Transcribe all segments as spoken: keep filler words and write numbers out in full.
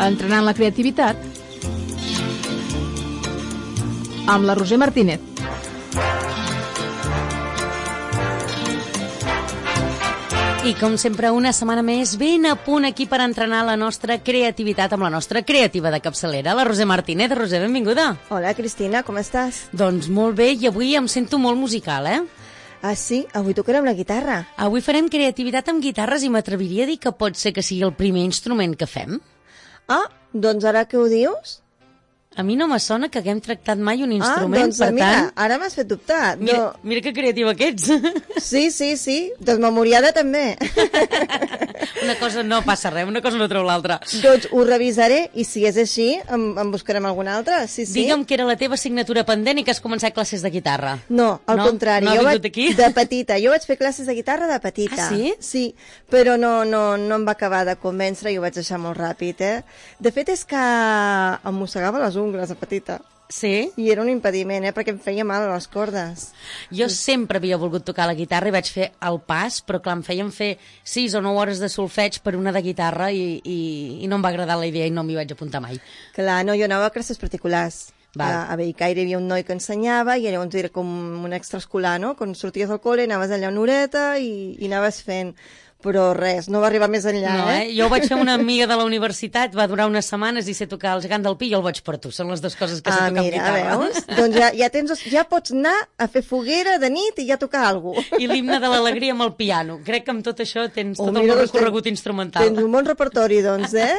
Entrenant la creativitat amb la Roser Martínez. I com sempre, una setmana més, ben a punt aquí per entrenar la nostra creativitat amb la nostra creativa de capçalera, la Roser Martínez. Roser, benvinguda. Hola, Cristina, com estàs? Doncs molt bé, i avui em sento molt musical, eh? Ah, sí? Avui tocarem la guitarra. Avui farem creativitat amb guitarres i m'atreviria a dir que pot ser que sigui el primer instrument que fem. Ah, doncs ara què ho dius? A mi no me sona que haguem tractat mai un instrument, ah, doncs, per mira, tant... ara m'has fet dubtar. Mira, no... mira que creativa que ets. Sí, sí, sí, desmemoriada també. Una cosa no passa res, una cosa no treu l'altra. Doncs ho revisaré i si és així en, en buscarem alguna altra. Sí, sí. Digue'm que era la teva assignatura pendent i que has començat classes de guitarra. No, al no? contrari. No jo ha vingut aquí? De petita. Jo vaig fer classes de guitarra de petita. Ah, sí? Sí, però no, no, no em va acabar de convèncer i ho vaig deixar molt ràpid, eh? De fet és que em mossegava les ungles de petita. Sí? I era un impediment, eh? Perquè em feia mal a les cordes. Jo sempre havia volgut tocar la guitarra i vaig fer el pas, però clar, em feien fer sis o nou hores de solfeig per una de guitarra i, i, i no em va agradar la idea i no m'hi vaig apuntar mai. Clar, no, jo anava a classes particulars. Va. A, a Bellcaire hi havia un noi que ensenyava i llavors era com un extraescolar, no? Quan sorties del col·le anaves allà una horeta i, i anaves fent... Però res, no va arribar més enllà, no, eh? eh? Jo vaig fer una amiga de la universitat, va durar unes setmanes i sé tocar el gegant del pi i el vaig per tu. Són les dues coses que sé ah, tocar mira, amb guitarra. Veus? Doncs ja, ja, tens, ja pots anar a fer foguera de nit i ja tocar alguna cosa. I l'himne de l'alegria amb el piano. Crec que amb tot això tens oh, tot mira, el doncs recorregut ten, instrumental. Tens un bon repertori, doncs, eh?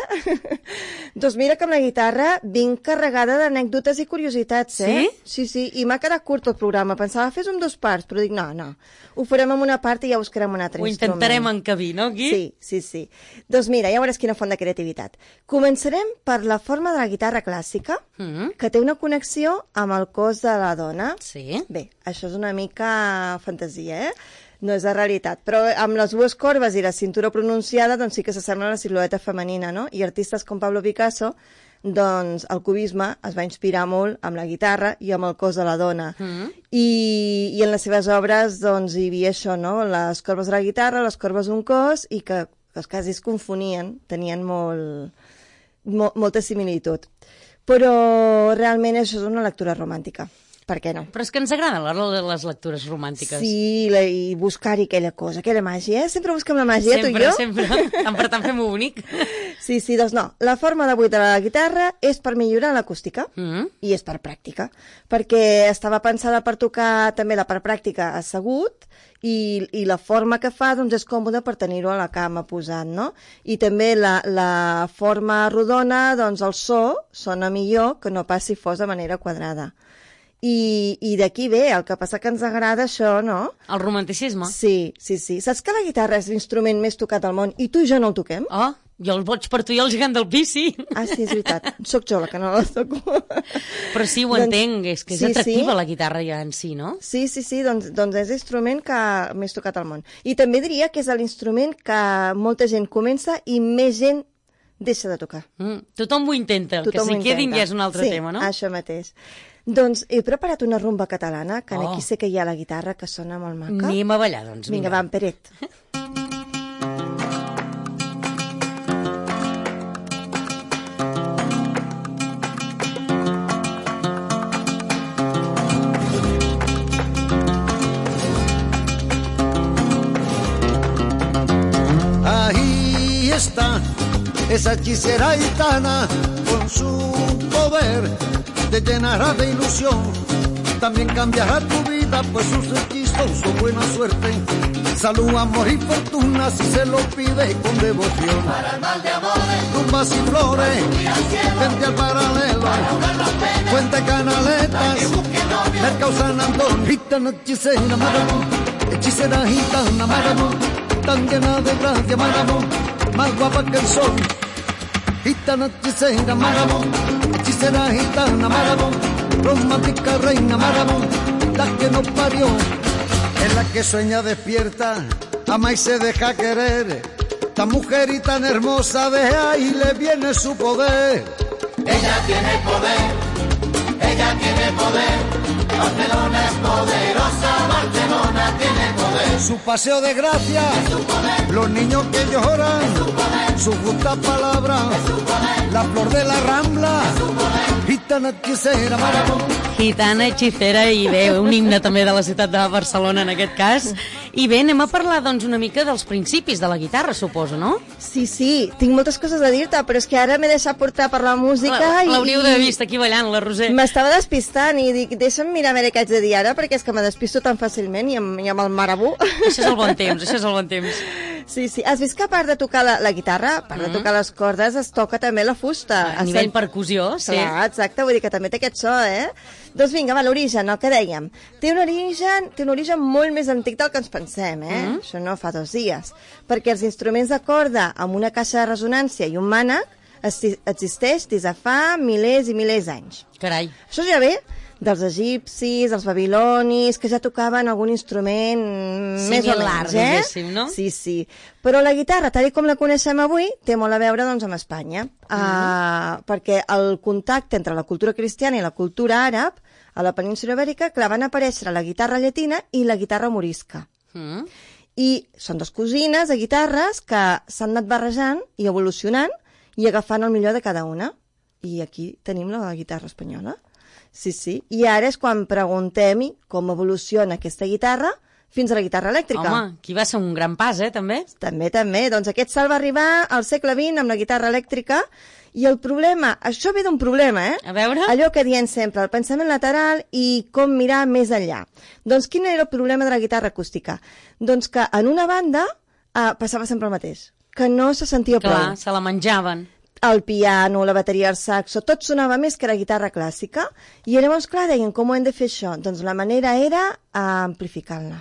Doncs mira que amb la guitarra vinc carregada d'anècdotes i curiositats, eh? Sí? Sí, sí, i m'ha quedat curt el programa. Pensava fes en dos parts, però dic, no, no. Ho farem en una part i ja buscarem un altre Ho instrument. Ho intentarem encabir, no, aquí? Sí, sí, sí. Doncs mira, ja veuràs quina font de creativitat. Començarem per la forma de la guitarra clàssica, mm. que té una connexió amb el cos de la dona. Sí. Bé, això és una mica fantasia, eh? No és la realitat, però amb les dues corbes i la cintura pronunciada doncs sí que s'assembla a la silueta femenina, no? I artistes com Pablo Picasso, doncs el cubisme es va inspirar molt amb la guitarra i amb el cos de la dona. Mm. I, i en les seves obres doncs hi havia això, no? Les corbes de la guitarra, les corbes d'un cos, i que els quasi es confonien, tenien molt, mo, molta similitud. Però realment això és una lectura romàntica. Per què no? Però és que ens agraden les lectures romàntiques. Sí, la, i buscar-hi aquella cosa, aquella màgia, eh? Sempre busquem la màgia, sempre, tu i jo. Sempre, sempre. Per tant, fem-ho bonic. Sí, sí, doncs no. La forma de buidar la guitarra és per millorar l'acústica mm. i és per pràctica, perquè estava pensada per tocar també la part pràctica assegut i, i la forma que fa doncs, és còmoda per tenir-ho a la cama posat, no? I també la, la forma rodona, doncs el so sona millor que no pas si fos de manera quadrada. I, i d'aquí ve, el que passa que ens agrada això, no? El romanticisme. Sí, sí, sí. Saps que la guitarra és l'instrument més tocat al món i tu i jo no el toquem? Oh, jo el boig per tu i el gegant del pi, sí. Ah, sí, és veritat. Soc jo la que no la toco. Però sí, ho doncs, entenc, és que és sí, atractiva sí? La guitarra ja en si, no? Sí, sí, sí, doncs, doncs és l'instrument que més tocat al món. I també diria que és l'instrument que molta gent comença i més gent deixa de tocar. Mm, tothom ho intenta, tothom que si quedin ja és un altre sí, tema, no? Sí, això mateix. Doncs he preparat una rumba catalana, que oh. aquí sé que hi ha la guitarra, que sona molt maca. Anem a ballar, doncs. Vinga, va, en Peret. Ahí está esa hechicera gitana con su poder te llenará de ilusión, también cambiará tu vida, pues sus hechizos son buena suerte, salud, amor y fortuna si se lo pide con devoción. Para el mal de amores, rumbas y flores, frente al paralelo, Fuente Canaletas, Mercado San Antón, gitana hechicera maravón, hechicera gitana maravón, tan llena de gracia maravón, más guapa que el sol. Gitana hechicera maravón, hechicera gitana maravón, romántica reina maravón, la que nos parió, es la que sueña despierta, ama y se deja querer, tan mujer y tan hermosa de ahí le viene su poder. Ella tiene poder, ella tiene poder, Barcelona es poderosa, Barcelona tiene poder. Su paseo de gracia, los niños que lloran, su justa palabra, la flor de la Rambla, gitana hechicera, marabón. Gitana, hechicera, i bé, un himne també de la ciutat de Barcelona en aquest cas. I bé, anem a parlar doncs una mica dels principis de la guitarra, suposo, no? Sí, sí, tinc moltes coses a dir-te, però és que ara m'he deixat portar per la música i... L'hauríeu d'haver vist aquí ballant, la Roser. M'estava despistant i dic, deixa'm mirar a veure què haig de dir ara, perquè és que me despisto tan fàcilment i amb, i amb el marabú. Això és el bon temps, això és el bon temps. Sí, sí. Has vist que a part de tocar la, la guitarra, a part mm. de tocar les cordes, es toca també la fusta. A nivell percussió, sí. Clar, exacte, vull dir que també té aquest so, eh? Doncs vinga, va, l'origen, el que dèiem. Té un origen, té un origen molt més antic del que ens pensem, eh? Mm. Això no fa dos dies. Perquè els instruments de corda amb una caixa de resonància i un mànec existeix des de fa milers i milers d'anys. Carai. Això ja ve dels egipcis, els babilonis, que ja tocaven algun instrument sí, més o menys, eh? No? Sí, sí. Però la guitarra, tal com la coneixem avui, té molt a veure doncs, amb Espanya. Mm. Uh, perquè el contacte entre la cultura cristiana i la cultura àrab a la península ibèrica, clar, van aparèixer la guitarra llatina i la guitarra morisca. Mm. I són dos cosines de guitarres que s'han anat barrejant i evolucionant i agafant el millor de cada una. I aquí tenim la guitarra espanyola. Sí, sí. I ara és quan preguntem com evoluciona aquesta guitarra fins a la guitarra elèctrica. Home, aquí va ser un gran pas, eh, també? També, també. Doncs aquest salt va arribar al segle vint amb la guitarra elèctrica i el problema, això ve d'un problema, eh? A veure? Allò que diem sempre, el pensament lateral i com mirar més enllà. Doncs quin era el problema de la guitarra acústica? Doncs que en una banda eh, passava sempre el mateix, que no se sentia Clar, prou. se la menjaven. El piano, la bateria, el saxo, tot sonava més que la guitarra clàssica. I llavors, clar, deien, com ho hem de fer això? Doncs la manera era amplificar-la.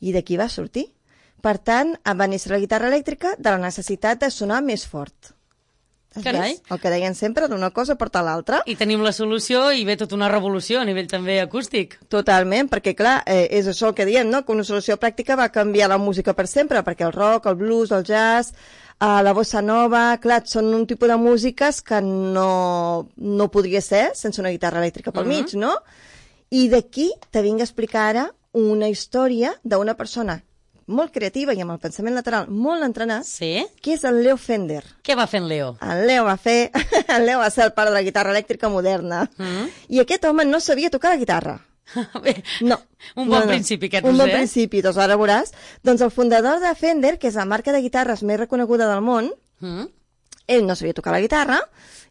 I d'aquí va sortir. Per tant, va néixer la guitarra elèctrica de la necessitat de sonar més fort. Carai. El que deien sempre, d'una cosa porta l'altra. I tenim la solució i ve tota una revolució a nivell també acústic. Totalment, perquè clar, eh, és això el que diem, no? Que una solució pràctica va canviar la música per sempre, perquè el rock, el blues, el jazz, Uh, la bossa nova, clar, són un tipus de músiques que no, no podria ser sense una guitarra elèctrica pel uh-huh. mig, no? I d'aquí te vinc a explicar ara una història d'una persona molt creativa i amb el pensament lateral molt entrenat, sí? Que és el Leo Fender. Què va fer en Leo? El Leo va fer... el Leo va ser el pare de la guitarra elèctrica moderna. Uh-huh. I aquest home no sabia tocar la guitarra. Bé, no. Un bon no, no. principi aquest, Un Roser. bon principi, doncs ara veuràs. Doncs el fundador de Fender, que és la marca de guitarres més reconeguda del món, mm. ell no sabia tocar la guitarra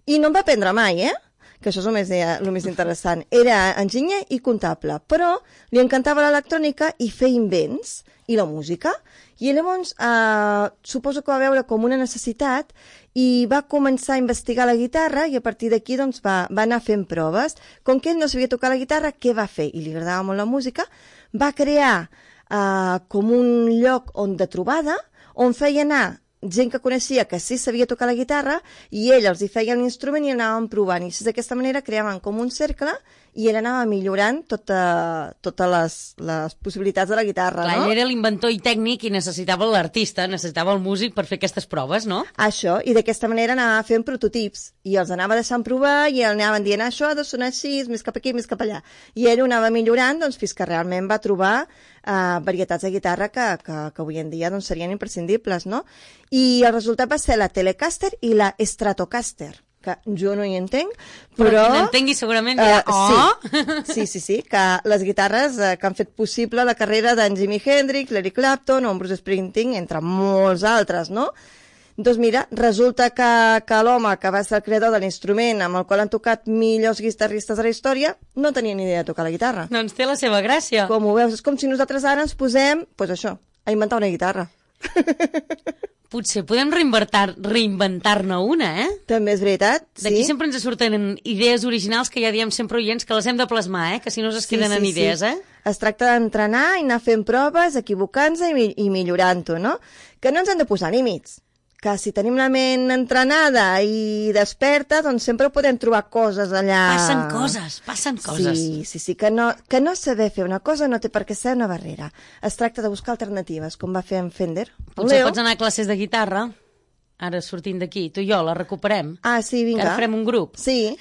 i no en va aprendre mai, eh? Que això és el més, el més interessant. Era enginyer i comptable, però li encantava l'electrònica i fer invents i la música. I llavors eh, suposo que va veure com una necessitat i va començar a investigar la guitarra i a partir d'aquí doncs, va, va anar fent proves. Com que ell no sabia tocar la guitarra, què va fer? I li agradava molt la música, va crear eh, com un lloc on de trobada, on feia anar gent que coneixia que sí sabia tocar la guitarra i ell els hi feia l'instrument i anaven provant. I d'aquesta manera creaven com un cercle i ell anava millorant tota, totes les, les possibilitats de la guitarra. Clar, no? ell era l'inventor i tècnic i necessitava l'artista, necessitava el músic per fer aquestes proves, no? Això, i d'aquesta manera anava fent prototips i els anava deixant provar i el anaven dient això ha de sonar així, més cap aquí, més cap allà. I ell ho anava millorant doncs, fins que realment va trobar uh, varietats de guitarra que, que, que avui en dia doncs, serien imprescindibles, no? I el resultat va ser la Telecaster i la Stratocaster, que jo no hi entenc, però... Però qui n'entengui segurament dirà, uh, oh! Sí, sí, sí, sí, que les guitarres uh, que han fet possible la carrera d'en Jimi Hendrix, l'Eric Clapton o en Bruce Springsteen, entre molts altres, no? Doncs mira, resulta que, que l'home que va ser el creador de l'instrument amb el qual han tocat millors guitarristes de la història no tenia ni idea de tocar la guitarra. Doncs té la seva gràcia. Com ho veus, és com si nosaltres ara ens posem, doncs pues això, a inventar una guitarra. Potser podem reinventar, reinventar-ne una, eh? També és veritat, sí. D'aquí sempre ens surten idees originals que ja diem sempre oients que les hem de plasmar, eh? Que si no es queden sí, sí, en idees, sí. eh? Es tracta d'entrenar i anar fent proves, equivocant-se i, i millorant-ho, no? Que no ens hem de posar límits. Que si tenim la ment entrenada i desperta, doncs sempre podem trobar coses allà... Passen coses, passen coses. Sí, sí, sí, que no, que no saber fer una cosa no té per què ser una barrera. Es tracta de buscar alternatives, com va fer en Fender. Potser pots anar a classes de guitarra, ara sortint d'aquí, tu i jo la recuperem. Ah, sí, vinga. Que ara farem un grup. Sí.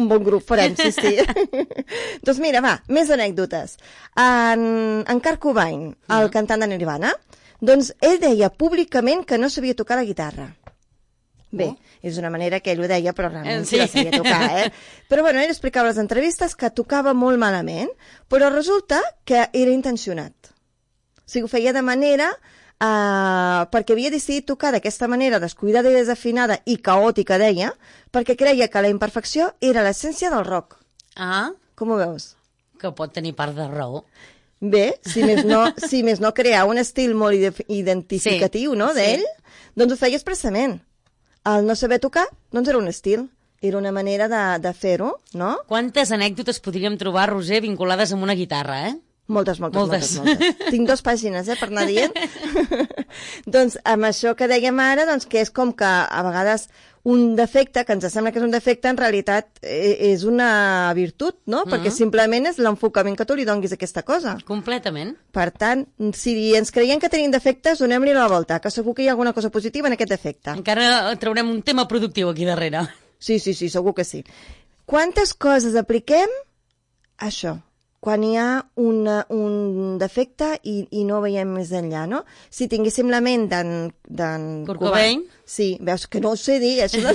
Un bon grup farem, sí, sí. Doncs mira, va, més anècdotes. En, en Kurt Cobain, el mm. cantant de Nirvana, Doncs ell deia públicament que no sabia tocar la guitarra. Bé, Oh. és una manera que ell ho deia, però realment Sí. sí la sabia tocar, eh? Però bueno, ell explicava a les entrevistes que tocava molt malament, però resulta que era intencionat. O sigui, ho feia de manera... Uh, perquè havia decidit tocar d'aquesta manera descuidada i desafinada i caòtica, deia, perquè creia que la imperfecció era l'essència del rock. Ah, Com ho veus? que pot tenir part de raó. Bé, si més no, si més no crear un estil molt ide- identificatiu, Sí, no, sí. d'ell, doncs ho feia expressament. El no saber tocar, doncs era un estil, era una manera de, de fer-ho, no? Quantes anècdotes podríem trobar, Roser, vinculades amb una guitarra, eh? Moltes, moltes, Moltes. moltes, moltes. Tinc dues pàgines, eh, per anar dient. Doncs amb això que dèiem ara, doncs que és com que a vegades un defecte, que ens sembla que és un defecte, en realitat eh, és una virtut, no? Perquè simplement és l'enfocament que tu li donguis a aquesta cosa. Completament. Per tant, si ens creiem que tenim defectes, donem-li la volta, que segur que hi ha alguna cosa positiva en aquest defecte. Encara traurem un tema productiu aquí darrere. Sí, sí, sí, segur que sí. Quantes coses apliquem? Això, quan hi ha una, un defecte i, i no veiem més enllà, no? Si tinguéssim la ment d'en... Kurt Cobain. Sí, veus que no ho sé dir, això de...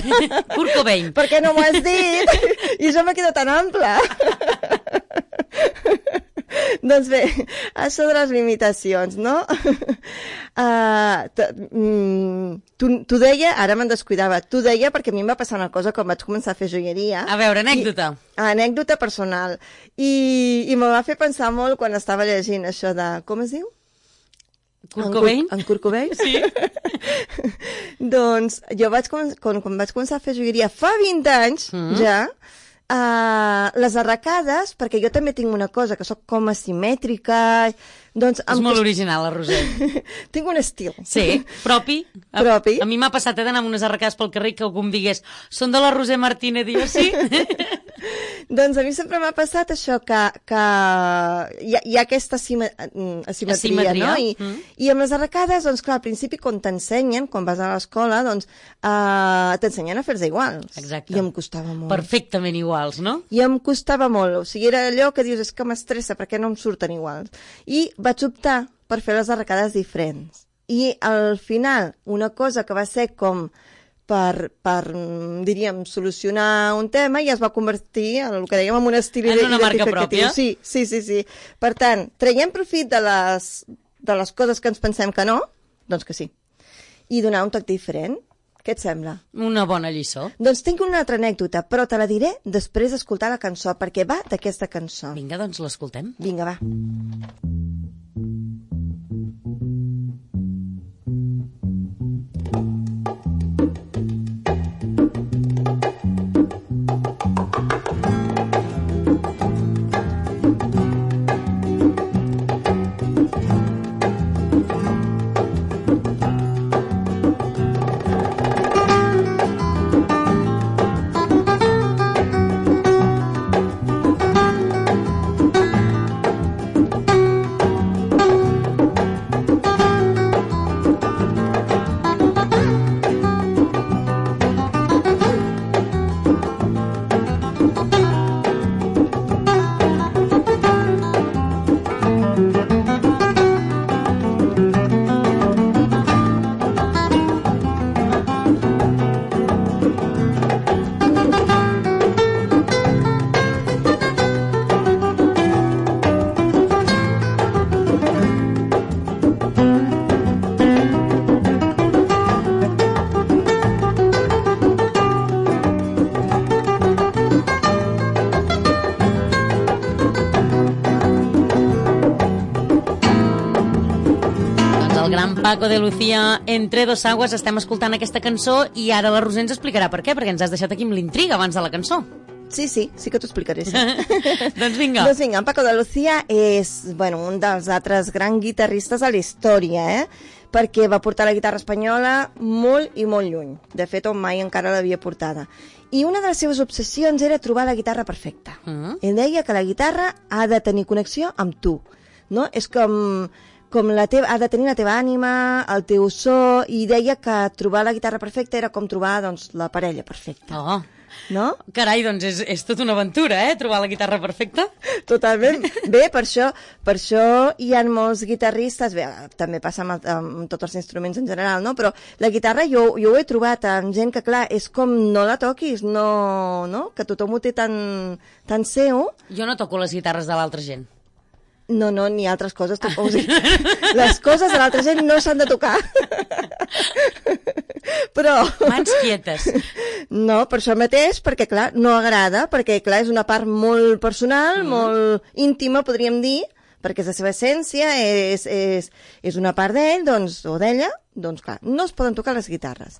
Kurt Cobain. Per què no m'ho has dit? I això m'ha quedat tan ample. Doncs bé, això de les limitacions, no? Uh, T'ho deia, ara me'n descuidava, t'ho deia perquè a mi em va passar una cosa quan vaig començar a fer joieria. A veure, anècdota. I, anècdota personal. I, i me va fer pensar molt quan estava llegint això de... Com es diu? Kurt Cobain? En Kurt Cobain? Sí. Doncs jo vaig, quan, quan vaig començar a fer joieria fa vint anys, mm. ja, uh, les arracades, perquè jo també tinc una cosa, que sóc com asimètrica, doncs... És molt original, la Roser. Tinc un estil. Sí, propi. A, Propi. A mi m'ha passat eh, d'anar amb unes arracades pel carrer que algú em digués són de la Roser Martínez, i jo sí. Doncs a mi sempre m'ha passat això, que, que hi, ha, hi ha aquesta asime, asimetria, Asimetria. no? I, Mm. I amb les arracades, doncs clar, al principi quan t'ensenyen, quan vas a l'escola, doncs uh, t'ensenyen a fer-se iguals. Exacte. I em costava molt. Perfectament iguals, no? I em costava molt, o sigui, era allò que dius, és que m'estressa, perquè no em surten iguals. I vaig optar per fer les arracades diferents. I al final, una cosa que va ser com per, per diríem, solucionar un tema, ja es va convertir en el que dèiem en un estil En una marca identificatiu. pròpia. Sí, sí, sí, sí. Per tant, traiem profit de les, de les coses que ens pensem que no, doncs que sí. I donar un toc diferent. Què et sembla? Una bona lliçó. Doncs tinc una altra anècdota, però te la diré després d'escoltar la cançó, perquè va d'aquesta cançó. Vinga, doncs l'escoltem. Vinga, va. Paco de Lucía, Entre dos aguas, estem escoltant aquesta cançó i ara la Roser ens explicarà per què, perquè ens has deixat aquí amb l'intriga abans de la cançó. Sí, sí, sí que t'ho explicaré. Sí. Doncs vinga. Doncs vinga, en Paco de Lucía és bueno, un dels altres grans guitarristes de la història, eh? Perquè va portar la guitarra espanyola molt i molt lluny. De fet, on mai encara l'havia portada. I una de les seves obsessions era trobar la guitarra perfecta. Mm. Ell deia que la guitarra ha de tenir connexió amb tu, no? És com... com la teva, ha de tenir la teva ànima, el teu so, i deia que trobar la guitarra perfecta era com trobar doncs, la parella perfecta. Oh. no? Carai, doncs és, és tota una aventura, eh? Trobar la guitarra perfecta. Totalment. Bé, per això, per això hi ha molts guitarristes, bé, també passa amb, amb tots els instruments en general, no? Però la guitarra jo, jo ho he trobat amb gent que, clar, és com no la toquis, no, no? Que tothom ho té tan, tan seu. Jo no toco les guitarres de l'altra gent. No, no, ni altres coses. O sigui, les coses de l'altra gent no s'han de tocar. Però... Mans quietes. No, per això mateix, perquè, clar, no agrada, perquè, clar, és una part molt personal, mm. molt íntima, podríem dir, perquè és la seva essència, és, és, és una part d'ell, doncs, o d'ella, doncs, clar, no es poden tocar les guitarres.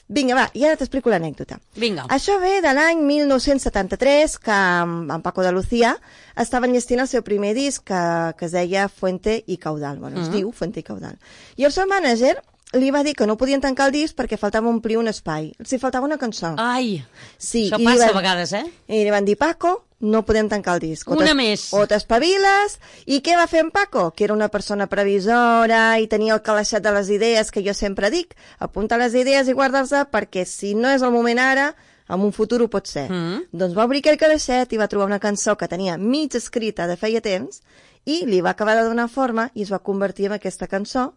Vinga, va, i ara t'explico l'anècdota. Vinga. Això ve de l'any mil nou-cents setanta-tres, que en Paco de Lucía estava enllestint el seu primer disc, que, que es deia Fuente y Caudal. Bueno, es uh -huh. diu Fuente y Caudal. I el seu mànager li va dir que no podien tancar el disc perquè faltava omplir un espai. Els hi faltava una cançó. Ai, sí, això i passa van, a vegades, eh? I li van dir, Paco, no podem tancar el disc. O una més. O t'espaviles. I què va fer en Paco? Que era una persona previsora i tenia el calaixet de les idees, que jo sempre dic, apunta les idees i guardar-les perquè si no és el moment ara, en un futur ho pot ser. Mm. Doncs va obrir aquell calaixet i va trobar una cançó que tenia mig escrita de feia temps i li va acabar de donar forma i es va convertir en aquesta cançó,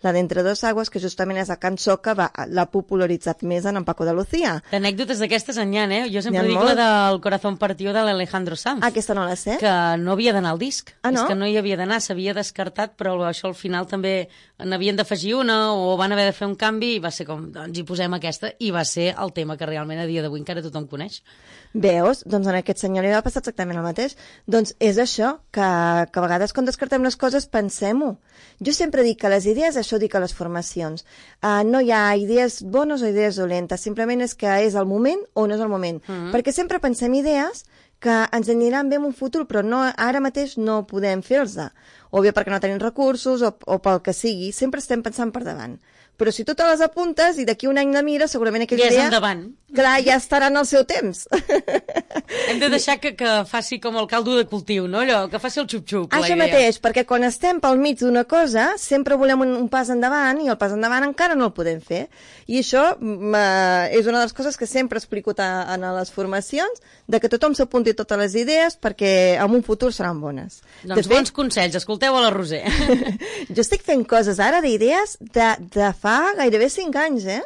la d'Entre dos aguas, que justament és la cançó que l'ha popularitzat més en Paco de Lucía. Anècdotes d'aquestes en hi ha, eh? Jo sempre dic molt. la del Corazón Partió de l'Alejandro Sanz. Ah, aquesta no la sé. Que no havia d'anar al disc. Ah, no? És que no hi havia d'anar, s'havia descartat, però això al final també n'havien d'afegir una o van haver de fer un canvi i va ser com, doncs hi posem aquesta, i va ser el tema que realment a dia d'avui encara tothom coneix. Veus? Doncs en aquest senyor li va passar exactament el mateix. Doncs és això, que, que a vegades quan descartem les coses pensem-ho. Jo sempre dic que les idees, això dic a les formacions, uh, no hi ha idees bones o idees dolentes, simplement és que és el moment o no és el moment. Mm-hmm. Perquè sempre pensem idees que ens aniran bé en un futur, però no, ara mateix no podem fer-los. O bé perquè no tenim recursos o, o pel que sigui, sempre estem pensant per davant. Però si tu te les apuntes i d'aquí un any la mires, segurament aquella ja idea... Ja és endavant. Clar, ja estarà en el seu temps. Hem de deixar que, que faci com el caldo de cultiu, no? Allò, que faci el xup-xup. Això mateix, perquè quan estem pel mig d'una cosa, sempre volem un, un pas endavant i el pas endavant encara no el podem fer. I això uh, és una de les coses que sempre explico a, a les formacions, de que tothom s'apunti totes les idees perquè en un futur seran bones. Doncs de bons fet, consells, escolteu a la Roser. Jo estic fent coses ara d'idees de, de fa gairebé cinc anys, eh?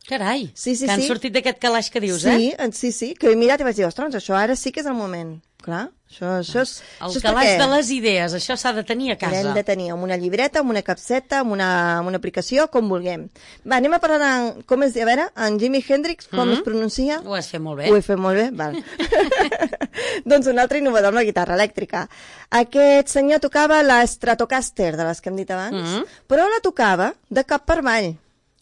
Carai, sí, sí, que han sí. sortit d'aquest calaix que dius, sí, eh? Sí, sí, que he mirat i vaig dir, ostres, això ara sí que és el moment. Clar, això, això és... El això és calaix perquè de les idees, això s'ha de tenir a casa. L'hem de tenir amb una llibreta, amb una capseta, amb una, amb una aplicació, com vulguem. Va, anem a parlar de, com es, a veure, en Jimi Hendrix, com mm -hmm. es pronuncia? Ho has fet molt bé. Ho he fet molt bé, val. Doncs un altre innovador amb la guitarra elèctrica. Aquest senyor tocava la Stratocaster, de les que hem dit abans, mm -hmm. però la tocava de cap per avall.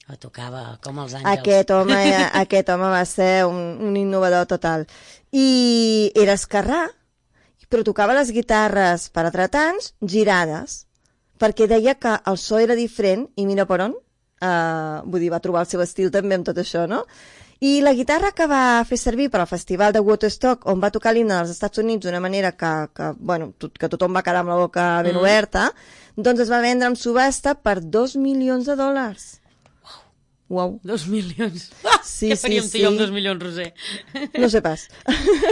La tocava com els àngels. Aquest home, aquest home va ser un, un innovador total. I era esquerrà, però tocava les guitarres per atretants girades, perquè deia que el so era diferent, i mira per on, uh, vull dir, va trobar el seu estil també amb tot això, no? I la guitarra que va fer servir per al festival de Woodstock, on va tocar l'himne dels Estats Units d'una manera que, que, bueno, tot, que tothom va quedar amb la boca ben mm. oberta, doncs es va vendre en subhasta per dos milions de dòlars. Uau. Dos milions. Sí, Què faríem sí, tu i jo amb sí. dos milions, Roser? No sé pas.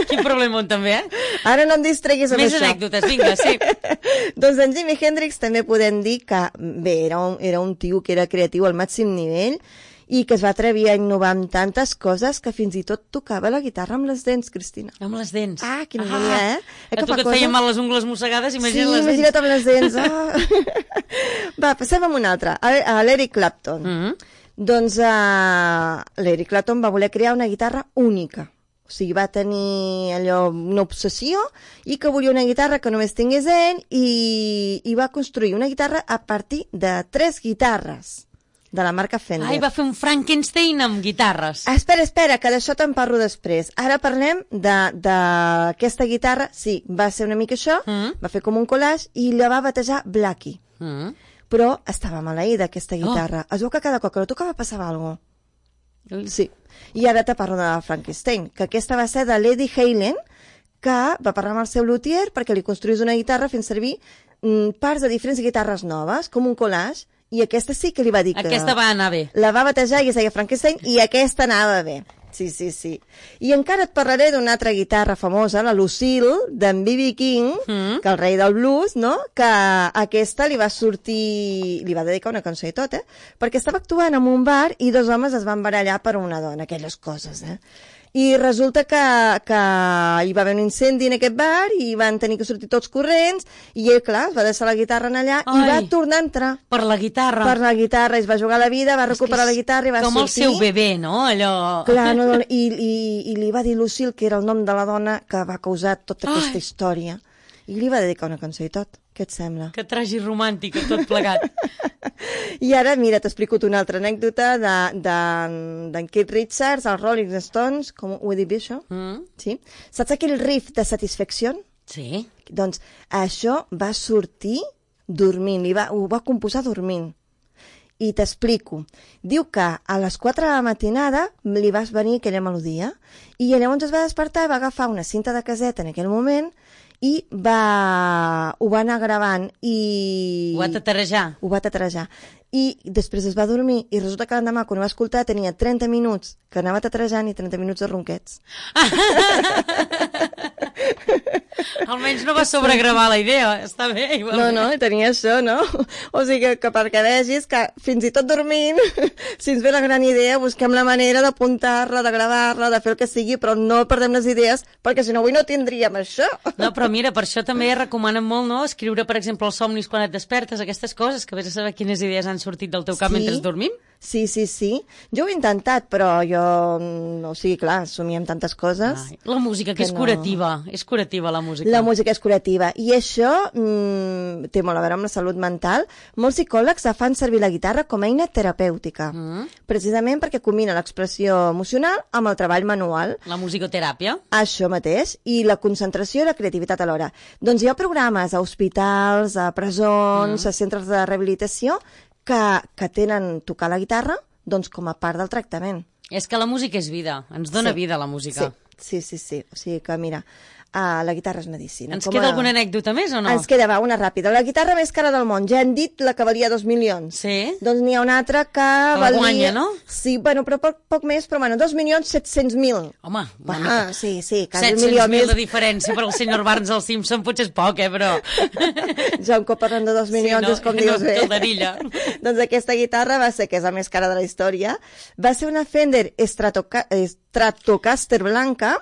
Quin problema també, eh? Ara no em distreguis amb Més això. Més anècdotes, vinga, sí. Doncs en Jimi Hendrix també podem dir que, bé, era un, era un tio que era creatiu al màxim nivell i que es va atrevir a innovar amb tantes coses que fins i tot tocava la guitarra amb les dents, Cristina. Amb les dents. Ah, quina mania, ah, eh? eh? A tu que et feien mal les ungles mossegades, imagina't sí, les dents. Sí, imagina't amb les dents. Oh. Va, passem amb una altra, a, a l'Eric Clapton. Mm -hmm. Doncs uh, l'Eric Clapton va voler crear una guitarra única. O sigui, va tenir allò, una obsessió, i que volia una guitarra que només tingués ell, i, i va construir una guitarra a partir de tres guitarres de la marca Fender. Ai, va fer un Frankenstein amb guitarres. Ah, espera, espera, que d'això te'n parlo després. Ara parlem d'aquesta guitarra. Sí, va ser una mica això, mm. va fer com un collage i la va batejar Blackie. Mm. Però estava maleïda, aquesta guitarra. Oh. Es veu que cada cop que la tocava passava alguna cosa. Sí. I ara te parlo de Frankenstein, que aquesta va ser de l'Eddie Halen, que va parlar amb el seu luthier perquè li construís una guitarra fent servir mm, parts de diferents guitarres noves, com un collage, i aquesta sí que li va dir que... Aquesta va anar bé. La va batejar i es deia Frankenstein, i aquesta anava bé. Sí, sí, sí. I encara et parlaré d'una altra guitarra famosa, la Lucille, d'en B B King, mm. que el rei del blues, no? Que aquesta li va sortir... li va dedicar una cançó i tot, eh? Perquè estava actuant en un bar i dos homes es van barallar per una dona, aquelles coses, eh? I resulta que, que hi va haver un incendi en aquest bar i van tenir que sortir tots corrents i ell, clar, es va deixar la guitarra en allà Ai, i va tornar a entrar. Per la guitarra. Per la guitarra, es va jugar la vida, va recuperar la guitarra i va com sortir. Com el seu bebè, no? Allò... Clar, no, no, i, i, i li va dir Lucille, que era el nom de la dona que va causar tota aquesta Ai. història. I li va dedicar una cançó i tot. Què et sembla? Que tragi romàntica, tot plegat. I ara, mira, t'explico una altra anècdota d'en de, de, Keith Richards, els Rolling Stones, com ho he dit bé, això? Mm. Sí? Saps aquell riff de Satisfaction? Sí. Doncs això va sortir dormint, li va, ho va composar dormint. I t'explico. Diu que a les quatre de la matinada li va venir aquella melodia i llavors es va despertar, va agafar una cinta de caseta en aquell moment i va... ho va anar gravant i... Ho va tatarejar. Ho va tatarejar. I després es va dormir i resulta que l'endemà, quan ho va escoltar, tenia trenta minuts que anava tatarejant i trenta minuts de ronquets. Almenys no va sobregravar la idea, està bé. Igual. No, no, tenia això, no? O sigui que, que perquè vegis que fins i tot dormint, si ens ve la gran idea, busquem la manera d'apuntar-la, de gravar-la, de fer el que sigui, però no perdem les idees, perquè si no avui no tindríem això. No, però mira, per això també recomanen molt, no?, escriure, per exemple, els somnis quan et despertes, aquestes coses, que vés a saber quines idees han sortit del teu cap sí, mentre dormim. Sí, sí, sí. Jo ho he intentat, però jo... O sigui, clar, somiem tantes coses... Ai, la música, que, que és no... curativa. És curativa, la música. La música és curativa. I això mmm, té molt a veure amb la salut mental. Molts psicòlegs fan servir la guitarra com a eina terapèutica. Mm. Precisament perquè combina l'expressió emocional amb el treball manual. La musicoteràpia. Això mateix. I la concentració i la creativitat alhora. Doncs hi ha programes a hospitals, a presons, mm. a centres de rehabilitació que, que tenen tocar la guitarra doncs, com a part del tractament. És que la música és vida, ens dona sí. vida la música. Sí, sí, sí, sí. O sigui que, mira, uh, la guitarra és medicina. Ens com queda a... alguna anècdota més o no? Ens queda, va, una ràpida. La guitarra més cara del món, ja hem dit la que valia dos milions. Sí. Doncs n'hi ha una altra que la valia... guanya, no? Sí, bueno, però poc, poc més, però bueno, dos milions set-cents mil. Home, ah, sí, sí, quasi un milió més. set-cents mil de diferència per al senyor Barnes als Simpson potser és poc, eh, però... Ja un cop parlant de dos milions, sí, no, és com dius no, bé. Calderilla. Doncs aquesta guitarra va ser, que és la més cara de la història, va ser una Fender Stratoca... Stratocaster blanca,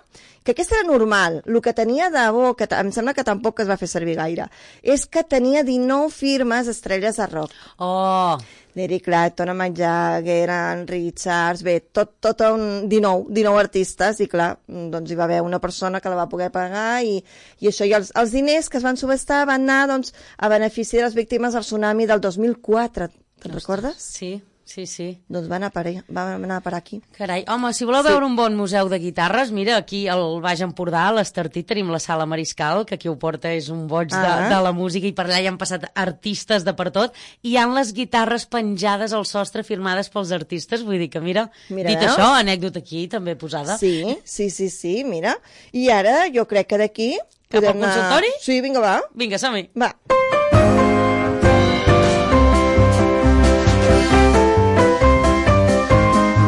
que aquesta era normal. El que tenia de bo, que em sembla que tampoc es va fer servir gaire, és que tenia dinou firmes estrelles de rock. Oh! L'Eric Clapton, Mick Jagger, en Richards, bé, tot, tot un dinou, dinou artistes, i clar, doncs hi va haver una persona que la va poder pagar, i, i això, i els, els diners que es van subestar van anar, doncs, a benefici de les víctimes del tsunami del dos mil quatre. Te'n recordes? Sí. Sí, sí. Doncs va anar per, va anar per aquí. Carai, home, si voleu sí. veure un bon museu de guitarres, mira, aquí al Baix Empordà, a l'Estartit, tenim la Sala Mariscal, que qui ho porta és un boig ah. de, de la música, i per allà hi han passat artistes de per tot, i hi han les guitarres penjades al sostre firmades pels artistes, vull dir que, mira, mira dit veus? Això, anècdota aquí també posada. Sí, sí, sí, sí, mira. I ara jo crec que d'aquí... Cap al consultori? Anar... Sí, vinga, va. Vinga, som-hi. Va.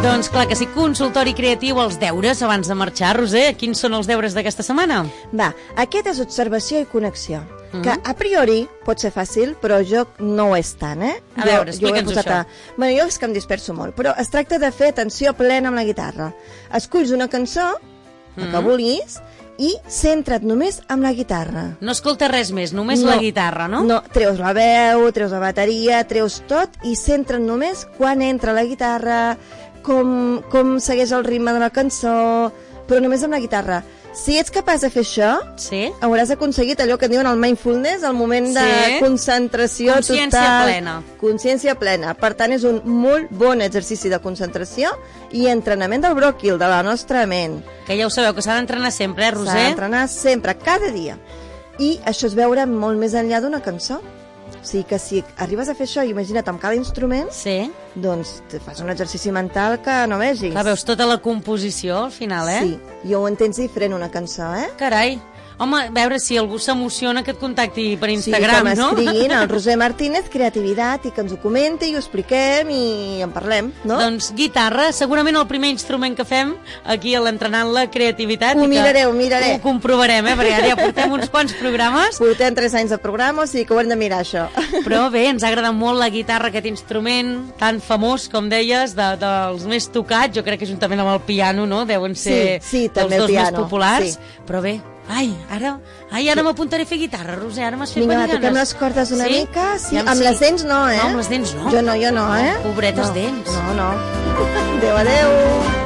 Doncs clar que sí, consultori creatiu, els deures abans de marxar. Roser, quins són els deures d'aquesta setmana? Va, aquest és observació i connexió, mm-hmm. que a priori pot ser fàcil, però jo no ho és tant, eh? A veure, explica'ns això. A... Bueno, jo és que em disperso molt, però es tracta de fer atenció plena amb la guitarra. Esculls una cançó, mm-hmm. que vulguis, i centra't només amb la guitarra. No escolta res més, només no, la guitarra, no? No, treus la veu, treus la bateria, treus tot, i centra't només quan entra la guitarra, com, com segueix el ritme de la cançó, però només amb la guitarra. Si ets capaç de fer això, sí? hauràs aconseguit allò que diuen el mindfulness, el moment sí? de concentració Consciència total. Consciència plena. Consciència plena. Per tant, és un molt bon exercici de concentració i entrenament del bròquil, de la nostra ment. Que ja ho sabeu, que s'ha d'entrenar sempre, eh, Roser? S'ha d'entrenar sempre, cada dia. I això es veure molt més enllà d'una cançó. O sigui que si arribes a fer això, imagina't amb cada instrument, sí. doncs te fas un exercici mental que no vegis. Clar, veus tota la composició al final, eh? Sí, i ho entens diferent una cançó, eh? Carai, Home, a veure si algú s'emociona que et contacti per Instagram, sí, no? Sí, que m'escriguin al Roser Martínez Creativitat i que ens ho comenti i ho expliquem i en parlem, no? Doncs guitarra, segurament el primer instrument que fem aquí a l'Entrenant la Creativitat. Ho miraré, ho miraré. Ho comprovarem, eh? Perquè ara ja portem uns quants programes. Portem tres anys de programa, o sigui que ho hem de mirar, això. Però bé, ens ha agradat molt la guitarra, aquest instrument tan famós, com deies, de, dels més tocats. Jo crec que juntament amb el piano, no? Deuen ser sí, sí, dels dos piano, més populars. Sí. Però bé, ai, ara, ai, ara m'apuntaré a fer guitarra, Roser, ara m'has fet Vinga, venir va, ganes. toquem les cordes una sí? mica. Sí, Ja amb sí. les dents no, eh? No, amb les dents no. Jo no, jo no, eh? Pobretes no. dents. No, no. Adéu, adéu.